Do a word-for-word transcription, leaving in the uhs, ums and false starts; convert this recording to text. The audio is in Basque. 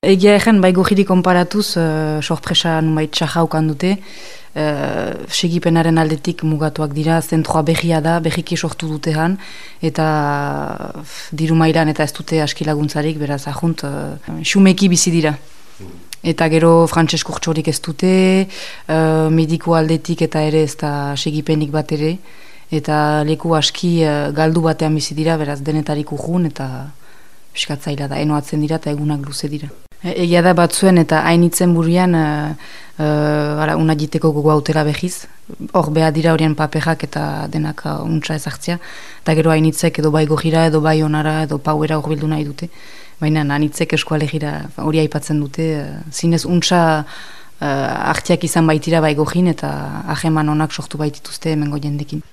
Egia egen, bai gojiri konparatuz, uh, sorpresa numait txajaukan dute, uh, segipenaren aldetik mugatuak dira, zentroa behia da, behiki sortu dutean, eta diru mailan eta ez dute aski laguntzarik, beraz ahunt, uh, xumeki bizi dira. Eta gero frantses kurtsorik ez dute, uh, mediku aldetik eta ere ez da segipenik bat ere, eta leku aski uh, galdu batean bizi dira, beraz denetarik urrun, eta piskatzaila da, enoatzen dira eta egunak luze dira. Egia da batzuen eta hainitzen burian uh, uh, una jiteko gogo autela behiz. Hor beha dira horien paperak eta denak uh, untsa ezartzea. Eta gero hainitzek edo bai gojira edo bai onara edo pauera hor bildu nahi dute. Baina hainitzek eskualegira hori aipatzen dute. Uh, zinez untsa uh, hartiak izan baitira bai gojin eta aheman onak sortu baitituzte hemengo jendekin.